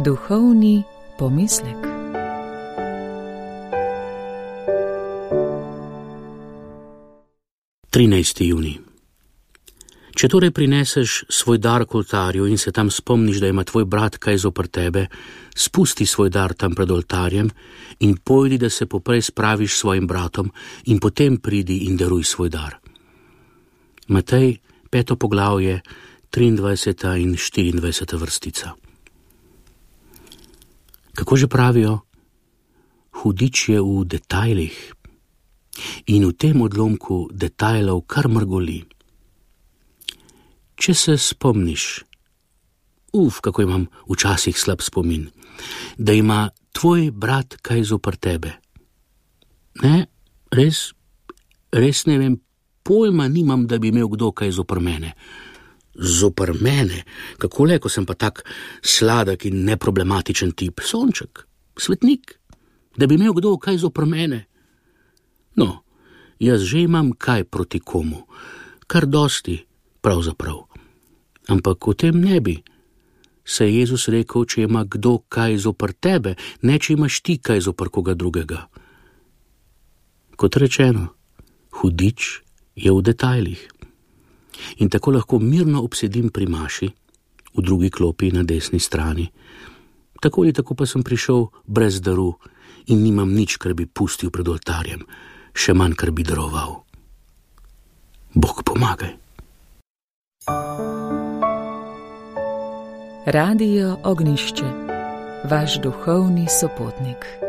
Duhovni pomislek. Junij. Če torej prineseš svoj dar k oltarju in se tam spomniš, da ima tvoj brat kaj zoper tebe, spusti svoj dar tam pred oltarjem in pojdi, da se poprej spraviš s svojim bratom in potem pridi in daruj svoj dar. Matej, 5. poglavje, 23. in 24. vrstica. Kako že pravijo? Hudič je v detajlih in v tem odlomku detajlov kar mrgoli. Če se spomniš, kako imam včasih slab spomin, da ima tvoj brat kaj zoper tebe. Ne, res ne vem, pojma nimam, da bi imel kdo kaj zoper mene. Zoper mene? Kako le, ko sem pa tak sladek in neproblematičen tip, sonček, svetnik, da bi imel kdo kaj zoper mene. No, jaz že imam kaj proti komu, kar dosti, pravzaprav. Ampak o tem ne bi. Saj je Jezus rekel, če ima kdo kaj zoper tebe, ne če imaš ti kaj zoper koga drugega. Kot rečeno, hudič je v detajlih. In tako lahko mirno obsedim pri maši, v drugi klopi na desni strani. Tako ali tako pa sem prišel brez daru in nimam nič, kar bi pustil pred oltarjem, še manj, kar bi daroval. Bog pomagaj. Radio Ognišče, vaš duhovni sopotnik.